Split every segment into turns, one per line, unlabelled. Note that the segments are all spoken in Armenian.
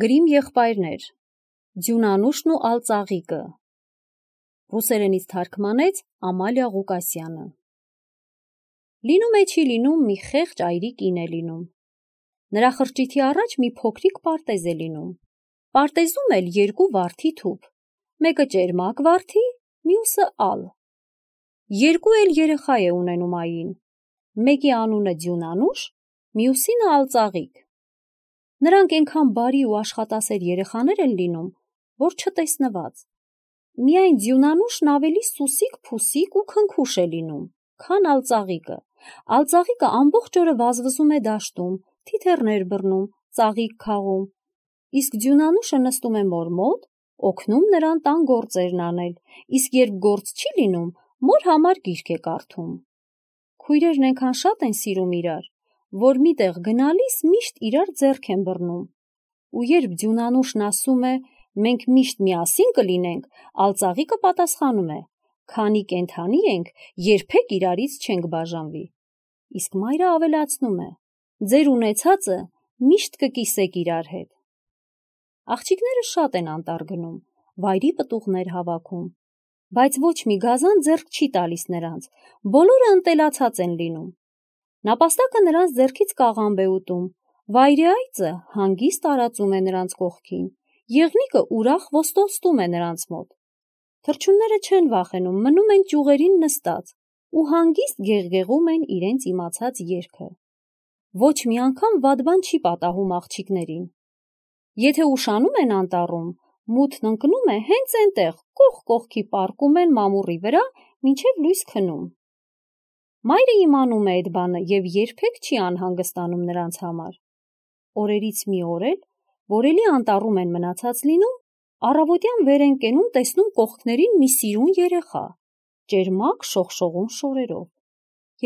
Գրիմ եղբայրներ, Ձյունանուշն ու ալծաղիկը, ռուսերենից թարգմանեց Ամալիա Ղուկասյանը։ Լինում է չի լինում մի խեղճ այրի կին է լինում։ Նրա խրճիթի առաջ մի փոքրիկ պարտեզ է լինում։ Պարտեզում էլ երկու վարդի թուփ, մեկը ճերմակ վարդի, մյուսը ալ։ Երկու էլ երեխա է ունենում ային, մեկի անունը Ձյունանուշ, մյուսինը ալծաղիկ։ Նրանք այնքան բարի ու աշխատասեր երեխաներ են լինում, որ չտեսնված։ Միայն Ձյունանուշն ավելի սուսիկ-փուսիկ ու քնքուշ է լինում, քան ալծաղիկը։ Ալծաղիկը ամբողջ օրը վազվզում է դաշտում, թիթեռներ բռնում, ծաղիկ քաղում, իսկ Ձյունանուշը նստում է մոր մոտ, օգնում նրան տան գործերն անել, իսկ երբ գործ չի լինում, մոր համար գիրք է կարդում։ Քույրերն այնքան շատ են սիրում իրար, որ միտեղ գնալիս միշտ իրար ձեռք են բռնում։ Ու երբ Ձյունանուշն ասում է մենք միշտ միասին կլինենք, ալծաղիկը պատասխանում է քանի կենդանի ենք, երբեք իրարից չենք բաժանվի։ Իսկ մայրը ավելացնում է ձեր ունեցածը միշտ կկիսեք իրար հետ։ Աղջիկները շատ են անտառ գնում, վայրի պտուղներ հավաքում, բայց ոչ մի գազան ձեռք չի տալիս նրանց, բոլորը ընտելացած են լինում։ Նապաստակը նրանց ձեռքից կաղամբ է ուտում, վայրի այծը հանգիստ արածում է նրանց կողքին, եղնիկը ուրախ ոստոստում է նրանց մոտ։ Թռչունները չեն վախենում, մնում են ճյուղերին նստած ու հանգիստ գեղգեղում են իրենց իմացած երգը։ Ոչ մի անգամ վատ բան չի պատահում աղջիկներին։ Եթե ուշանում են անտառում, մութն ընկնում է հենց այնտեղ, կողք կողքի պառկում են մամուռի վրա, մինչև լույս քնում։ Մայրը իմանում է այդ բանը և երբեք չի անհանգստանում նրանց համար։ Օրերից մի օր էլ, որ էլի անտառում են մնացած լինում, առավոտյան վեր են կենում, տեսնում կողքներին մի սիրուն երեխա, ճերմակ շողշողուն շորերով։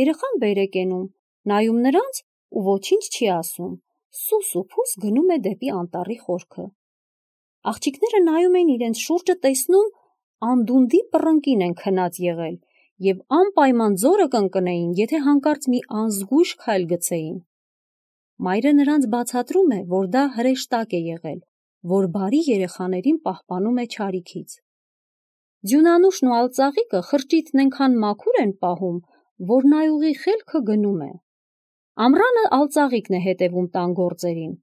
Երեխան վեր է կենում, նայում նրանց ու ոչինչ չի ասում, սուս ու փուս գնում է դեպի անտառի խորքը։ Աղջիկները նայում են իրենց շուրջը, տեսնում անդունդի պռնկին են քնած եղել և անպայման ձորը կընկնեին, եթե հանկարծ մի անզգույշ քայլ գցեին։ Մայրը նրանց բացատրում է, որ դա հրեշտակ է եղել, որ բարի երեխաներին պահպանում է չարիքից։ Ձյունանուշն ու ալծաղիկը խրճիթն այնքան մաքուր են պահում, որ նայողի խելքը գնում է։ Ամռանը ալծաղիկն է հետևում տան գործերին։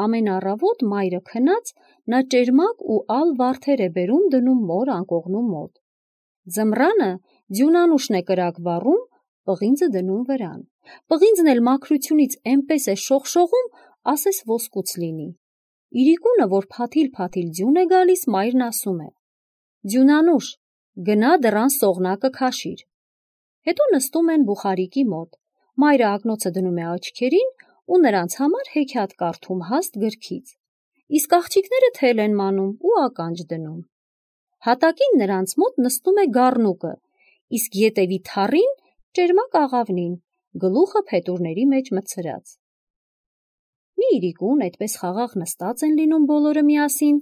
Ամեն առավոտ մայրը քնած, նա ճերմակ ու ալ վարդեր է բերում դնում մոր անկողնու մոտ։ Ձմռանը Ձյունանուշն է կրակ վառում, պղինձը դնում վրան։ Պղինձն էլ մաքրությունից էնպես է շողշողում, ասես ոսկուց լինի։ Իրիկունը, որ փաթիլ-փաթիլ ձյուն է գալիս, մայրն ասում է. Ձյունանուշ, գնա դռան սողնակը քաշիր։ Հետո նստում են բուխարիկի մոտ։ Մայրը ակնոցը դնում է աչքերին ու նրանց համար հեքիաթ կարդում հաստ գրքից։ Իսկ աղջիկները թել են մանում ու ականջ դնում։ Հատակին նրանց մոտ նստում է գառնուկը, իսկ ետևի թառին ճերմակ աղավնին, գլուխը փետուրների մեջ մտցրած։ Մի իրիկուն այդպես խաղաղ նստած են լինում բոլորը միասին,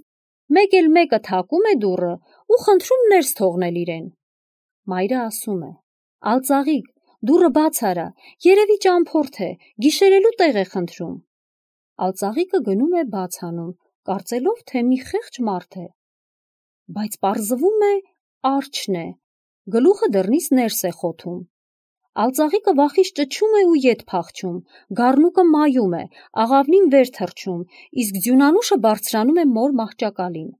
մեկ էլ մեկը թակում է դուռը ու խնդրում ներս թողնել իրեն։ Մայրը ասում է. ալծաղիկ, դուռը բաց արա, երևի ճամփորդ է, գիշերելու տեղ է խնդրում։ Ալծաղիկը գնում է բաց անում, կարծելով, թե մի խեղճ մարդ է։ Բայց պարզվում է արջն է, գլուխը դռնից ներս է խոթում։ Ալծաղիկը վախից ճչում է ու ետ փախչում, գառնուկը մայում է, աղավնին վեր թռչում, իսկ Ձյունանուշը բարձրանում է մոր մահճակալին։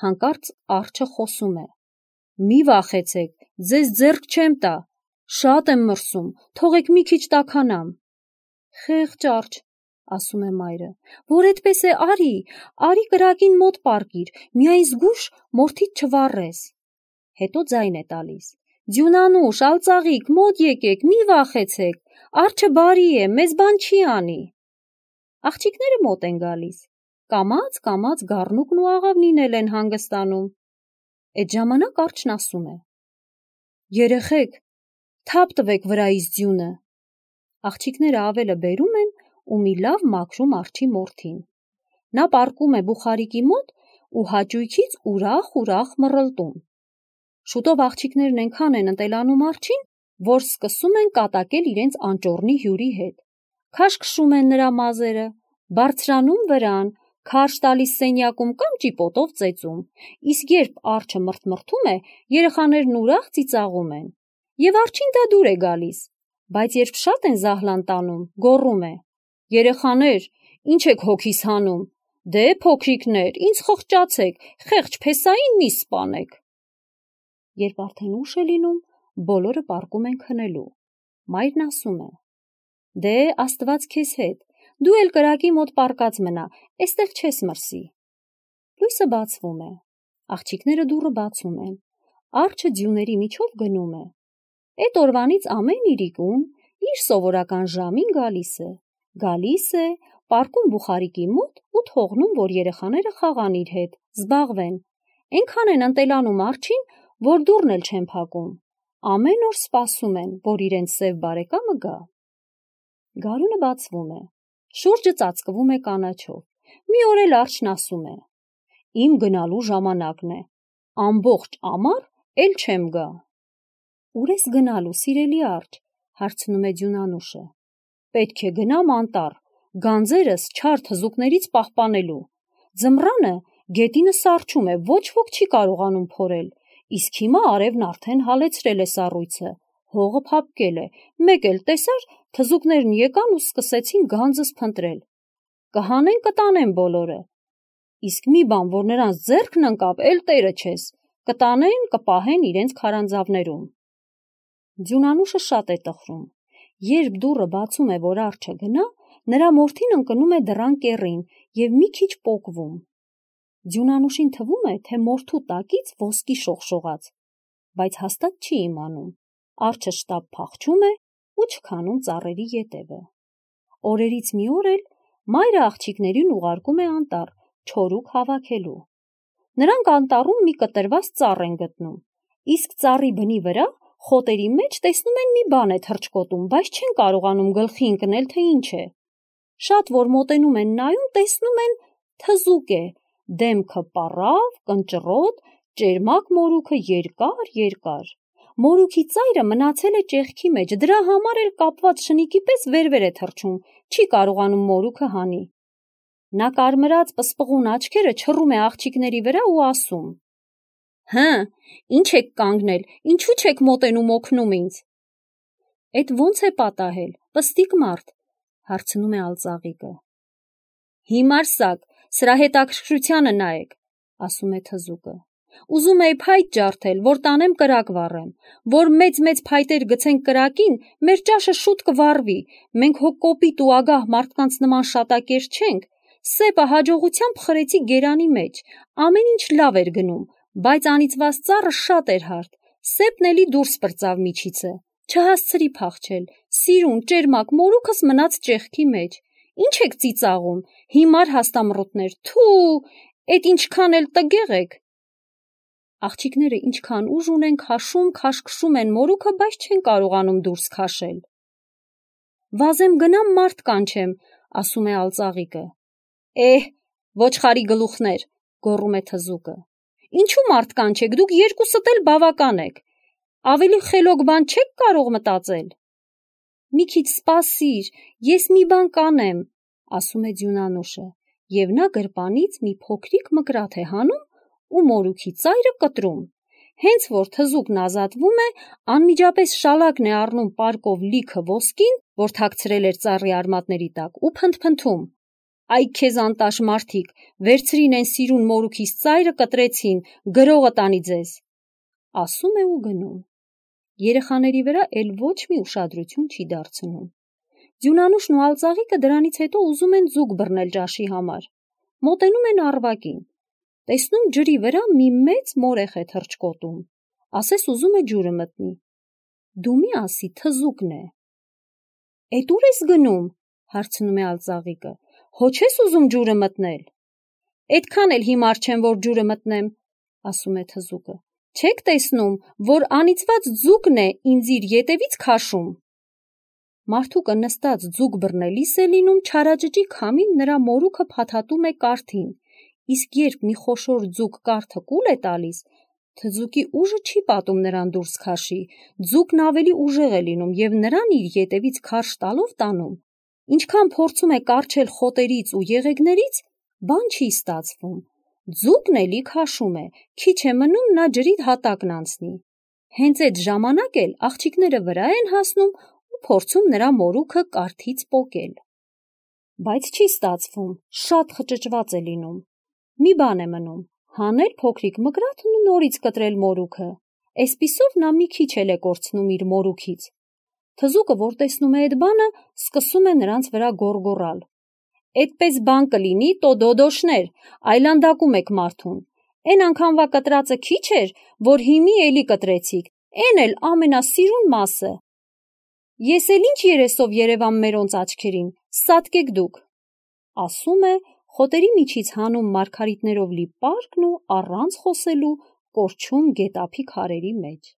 Հանկարծ արջը խոսում է. մի վախեցեք, ձեզ ձեռք չեմ տա, շատ եմ մրսում, թողեք մի քիչ տաքանամ։ Խեղճ արջ, ասում է մայրը, որ այդպես է, արի կրակին մոտ պառկիր, միայն զգույշ մորթիդ չվառես։ Հետո ձայն է տալիս. Ձյունանուշ, ալծաղիկ, մոտ եկեք, մի վախեցեք, արջը բարի է, մեզ բան չի անի։ Աղջիկները մոտ են գալիս, կամաց գառնուկն ու աղավնին էլ են հանգստանում։ Այդ ժամանակ արջն ասում է. երեխեք, թափ տվեք վրայից ձյունը։ Աղջիկները ավելը բերում են ու մի լավ մաքրում արջի մորթին։ Նա պառկում է բուխարիկի մոտ ու հաճույքից ուրախ մռլտում։ Շուտով աղջիկներն այնքան են ընտելանում արջին, որ սկսում են կատակել իրենց անճոռնի հյուրի հետ։ Քաշքշում են նրա մազերը, բարձրանում վրան, քարշ տալիս սենյակում կամ ճիպոտով ծեծում, իսկ երբ արջը մրթմրթում է, երեխաներն ուրախ ծիծաղում են։ Եվ արջին դա դուր է գալիս, բայց երբ շատ են զահլան տանում, գոռում է. «Երեխաներ, ինչ եք հոգիս հանում, դե փոքրիկներ, ինձ խղճացեք, խեղճ փեսային մի սպանեք»։ Երբ արդեն ուշ է լինում, բոլորը պառկում են քնելու։ Մայրն ասում է. «Դե Աստված քեզ հետ, դու էլ կրակի մոտ պառկած մնա, էստեղ չես մրսի»։ Լույսը բացվում է, աղջիկները դուռը բացում են, արջը ձյուների միջով գնում է։ Էդ օրվանից ամեն իրիկուն իր սովորական ժամին գալիս է, պառկում բուխարիկի մոտ ու թողնում, որ երեխաները խաղան իր հետ, զբաղվեն։ Էնքան են ընտելանում արջին, որ դուռն էլ չեն փակում։ Ամեն օր սպասում են, որ իրենց սև բարեկամը գա։ Գարունը բացվում է, շուրջը ծածկվում է կանաչով։ Մի օր էլ արջն ասում է. «Իմ գնալու ժամանակն է, ամբողջ ամառ էլ չեմ գա»։ «Ուր ես գնալու, սիրելի արջ», հարցնում է ձյունանուշը։ «Պետք է գնամ անտառ, գանձերս չար թզուկներից պահպանելու։ Ձմռանը գետինը սառչում է, ոչ ոք չի կարողանում փորել, իսկ հիմա արևն արդեն հալեցրել է սառույցը, հողը փափկել է, մեկ էլ տեսար, թզուկներն եկան ու սկսեցին գանձս փնտրել։ Կհանեն կտանեն բոլորը, իսկ մի բան, որ նրանց ձեռքն ընկավ, էլ տերը չես, կտանեն, կպահեն իրենց քարանձավներում»։ Ձյունանուշը շատ է տխրում։ Երբ դուռը բացում է, որ արջը գնա, նրա մորթին ընկնում է դռան կեռին և մի քիչ պոկվում։ Ձյունանուշին թվում է, թե մորթու տակից ոսկի շողշողաց, բայց հաստատ չի իմանում։ Արջը շտապ փախչում է ու չքանում ծառերի ետևը։ Օրերից մի օր էլ մայրը աղջիկներին ուղարկում է անտառ չորուկ հավաքելու։ Նրանք անտառում մի կտրված ծառ են գտնում, իսկ ծառի բնի վրա խոտերի մեջ տեսնում են մի բան է թռչկոտում, բայց չեն կարողանում գլխի ընկնել, թե ինչ է։ Շատ որ մոտենում են նայում, տեսնում են թզուկ է, դեմքը պառավ, կնճռոտ, ճերմակ մորուքը երկար։ Մորուքի ծայրը մնացել է ճեղքի մեջ, դրա համար էլ կապված շնիկի պես վեր է թռչում, չի կարողանում մորուքը հանի։ Նա կարմրած պսպղուն աչքերը չռում է աղջիկների վրա ու ասում. «Հը, ինչ եք կանգնել, ինչու չեք մոտենում օգնում ինձ»։ «Էդ ոնց է պատահել, պստիկ մարդ», հարցնում է ալծաղիկը։ «Հիմար սակ, սրա հետաքրքրությանը նայեք», ասում է թզուկը։ «Ուզում էի փայտ ջարդել, որ տանեմ կրակ վառեմ, որ մեծ փայտեր գցենք կրակին, մեր ճաշը շուտ կվառվի, մենք հո կոպիտ ու ագահ մարդկանց նման շատակեր չենք, սեպը հաջողությամբ խրեցի գերանի մեջ, ամեն ինչ լավ էր գնում, բայց անիծված ծառը շատ էր հարթ, սեպն էլի դուրս պրծավ միջիցը, չհասցրի փախչել, սիրուն, ճերմակ մորուքս մնաց ճեղքի մեջ, ինչ եք ծիծաղում, հիմար հաստամռութներ, թու, էդ ինչքան էլ տգեղ եք»։ Աղջիկները ինչքան ուժ ունեն քաշքշում են մորուքը, բայց չեն կարողանում դուրս քաշել։ «Վազեմ գնամ մարդ կանչեմ», ասում է ալծաղիկը։ «Ոչխարի գլուխներ», գոռում է թզուկը։ «Ինչու մարդ կանչեք, դուք երկուսդ էլ բավական եք, ավելի խելոք բան չեք կարող մտածել»։ «Մի քիչ սպասիր, ես մի բան կանեմ», ասում է ձյունանուշը, և նա գրպանից մի փոքրիկ մկրատ է հանում ու մորուքի ծայրը կտրում։ Հենց որ թզուկն ազատվում է, անմիջապես շալակն է առնում պարկով լիքը ոսկին, որ թաքցրել էր ծառի արմատների տակ, ու փնթփնթում. «Այ քեզ անտաշ մարդիկ, վերցրին են սիրուն մորուքիս ծայրը, կտրեցին, գրողը տանի ձեզ»։ Ասում է ու գնում։ Երեխաների վրա էլ ոչ մի ուշադրություն չի դարձնում։ Ձյունանուշն ու ալծաղիկը դրանից հետո ուզում են ձուկ բռնել ճաշի համար։ Մոտենում են առվակին։ Տեսնում ջրի վրա մի մեծ մորեխ է թռչկոտում, ասես ուզում է ջուրը մտնի։ Դու մի ասի, թզուկն է։ «Էդ ուր ես գնում», հարցնում է ալծաղիկը, «հո չես ուզում ջուրը մտնել»։ «Էդքան էլ հիմար չեմ, որ ջուրը մտնեմ», ասում է թզուկը։ «Չեք տեսնում, որ անիծված ձուկն է ինձ իր ետևից քաշում»։ Մարդուկը նստած ձուկ բռնելիս է լինում, չարաճճի քամին նրա մորուքը փաթաթում է կարթին, իսկ երբ մի խոշոր ձուկ կարթը կուլ է տալիս, թզուկի ուժը չի պատում նրան դուրս քաշի, ձուկն ավելի ուժեղ է լինում և նրան իր ետևից քարշ տալով տանում։ Ինչքան փորձում է կառչել խոտերից ու եղեգներից, բան չի ստացվում, ձուկն էլի քաշում է, քիչ է մնում նա ջրի հատակն անցնի, հենց այդ ժամանակ էլ աղջիկները վրա են հասնում ու փորձում նրա մորուքը կարթից պոկել, բայց չի ստացվում, շատ խճճված է լինում, մի բան է մնում, հանել փոքրիկ մկրատն ու նորից կտրել մորուքը, այսպիսով նա մի քիչ էլ է կորցնում իր մորուքից, թզուկը, որ տեսնում է այդ բանը, սկսում է նրանց վրա գոռգոռալ, «Էդպես բան կլինի, տո դոդոշներ, այլանդակում եք մարդուն, էն անգամվա կտրածը քիչ էր, որ հիմի էլի կտրեցիք, էն էլ ամենասիրուն մասը, ես էլ ինչ երեսով երևամ մերոնց աչքերին, սատկեք դուք», ասում է, խոտերի միջից հանում մարգարիտներով լի պարկն ու առանց խոսելու կորչում գետափի քարերի մեջ։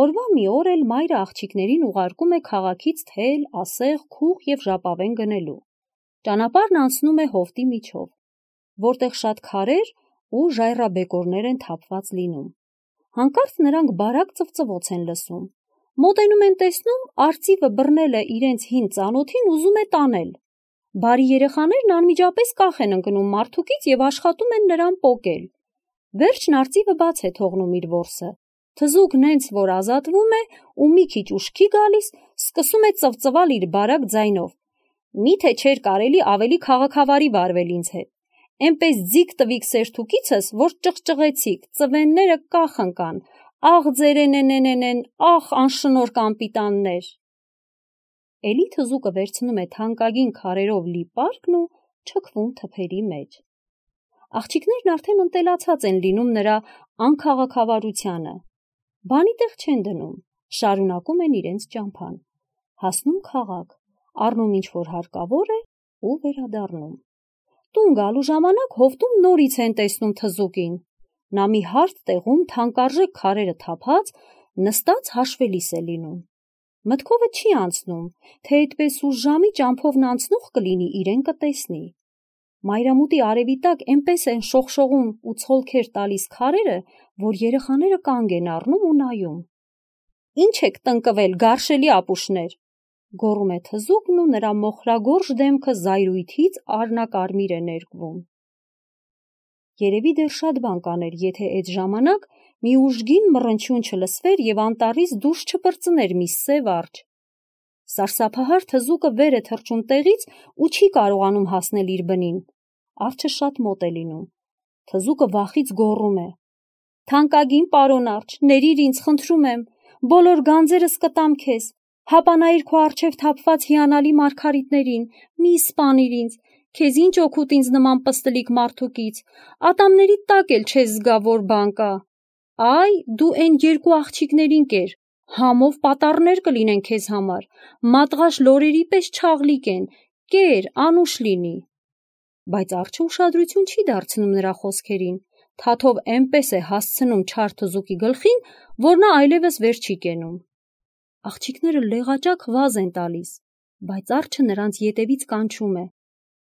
Օրվա մի օր էլ մայրը աղջիկներին ուղարկում է քաղաքից թել, ասեղ, քուղ և ժապավեն գնելու։ Ճանապարհն անցնում է հովտի միջով, որտեղ շատ քարեր ու ժայռաբեկորներ են թափված լինում։ Հանկարծ նրանք բարակ ծվծվոց են լսում։ Մոտենում են տեսնում, արծիվը բռնել է իրենց հին ծանոթին ուզում է տանել։ Բարի երեխաներն անմիջապես կախ են ընկնում մարդուկից և աշխատում են նրան պոկել։ Վերջն արծիվը բաց է թողնում իր որսը։ Թզուկն հենց որ ազատվում է ու մի քիչ ուշքի գալիս, սկսում է ծվծվալ իր բարակ ձայնով. «Միթե չէր կարելի ավելի քաղաքավարի վարվել ինձ հետ։ Էնպես ձիգ տվիք սերթուկիցս, որ ճղճղեցիք, ծվենները կախ ընկան, աղ ձերենենենեն, աղ անշնորհ կանպիտաններ»։ Էլի թզուկը վերցնում է թանկագին քարերով լի պարկն ու չքվում թփերի մեջ։ Աղջիկներն արդեն ընտելացած են լինում նրա անքաղաքավարությանը։ Բանի տեղ չեն դնում, շարունակում են իրենց ճամփան, հասնում քաղաք, առնում ինչ որ հարկավոր է ու վերադառնում։ Տուն գալու ժամանակ հովտում նորից են տեսնում թզուկին։ Նա մի հարթ տեղում թանկարժեք քարերը թափած, նստած հաշվելիս է լինում։ Մտքովը չի անցնում, թե այդպես ուշ ժամի ճամփովն անցնող կլինի իրեն կտեսնի։ Մայրամուտի արևի տակ էնպես են շողշողում ու ցոլքեր տալիս քարերը, որ երեխաները կանգ են առնում ու նայում։ «Ինչ եք տնկվել, գարշելի ապուշներ», գոռում է թզուկն ու նրա մոխրագորշ դեմքը զայրույթից արնակարմիր է ներկվում։ Երևի դեռ շատ բան կաներ, եթե այդ ժամանակ մի ուժգին մռնչյուն չլսվեր և անտառից դուրս չպրծներ մի սև արջ։ Սարսափահար թզուկը վեր է թռչում տեղից ու չի կարողանում հասնել իր բնին։ Արջը շատ մոտ է լինում։ Թզուկը վախից գոռում է. «Թանկագին պարոն արջ, ներիր ինձ, խնդրում եմ, բոլոր գանձերս կտամ քեզ, հապանայիր քո առջև թափված հիանալի մարգարիտներին, մի սպանիր ինձ, քեզ ինչ օգուտ ինձ նման պստլիկ մարդուկից, ատամների տակ էլ չես զգա, որ բան կա։ Այ, դու էն երկու աղջիկներին կեր, համով պատառներ կլինեն քեզ համար, մատղաշ լորերի պես չաղլիկ են, կեր, անուշ լինի»։ Բայց արջը ուշադրություն չի դարձնում նրա խոսքերին, թաթով էնպես է հասցնում չար թզուկի գլխին, որ նա այլևս վեր չի կենում։ Աղջիկները լեղաճակ վազ են տալիս, բայց արջը նրանց ետևից կանչում է.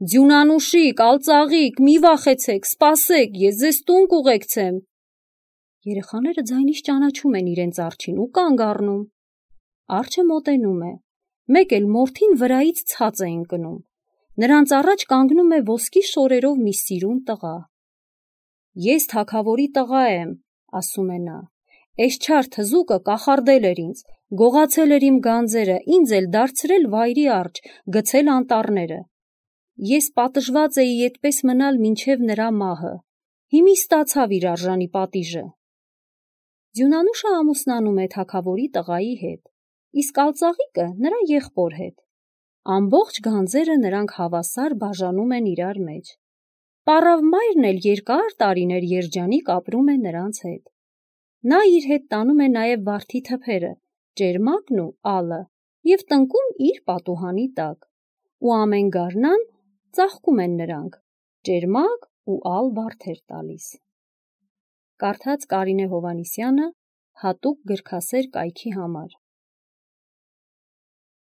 «Ձյունանուշիկ, ալծաղիկ, մի վախեցեք, սպասեք, ես ձեզ տուն կուղեկցեմ»։ Երեխաները ձայնից ճանաչում են իրենց արջին ու կանգ առնում։ Արջը մոտենում է, մեկ էլ մորթին վրայից ցած է ընկնում։ Նրանց առաջ կանգնում է ոսկի շորերով մի սիրուն տղա։ «Ես թագավորի տղա եմ», ասում է նա, «էս չար թզուկը կախարդել էր ինձ, գողացել էր իմ գանձերը, ինձ էլ դարձրել վայրի արջ, գցել անտառները։ Ես պատժված էի այդպես մնալ մինչև նրա մահը, հիմի ստացավ իր արժանի պատիժը»։ Ձյունանուշը ամուսնանում է թագավորի տղայի հետ, իսկ ալծաղիկը նրա եղբոր հետ։ Ամբողջ գանձերը նրանք հավասար բաժանում են իրար մեջ։ Պառավ մայրն էլ երկար տարիներ երջանիկ ապրում է նրանց հետ։ Նա իր հետ տանում է նաև վարդի թփերը, ճերմակն ու ալը, և տնկում իր պատուհանի տակ, ու ամեն գարնան ծաղկում են նրանք, ճերմակ ու ալ վարդեր տալիս։ Կարդաց Կարինե Հովհաննիսյանը հատուկ գրքասեր կայքի համար։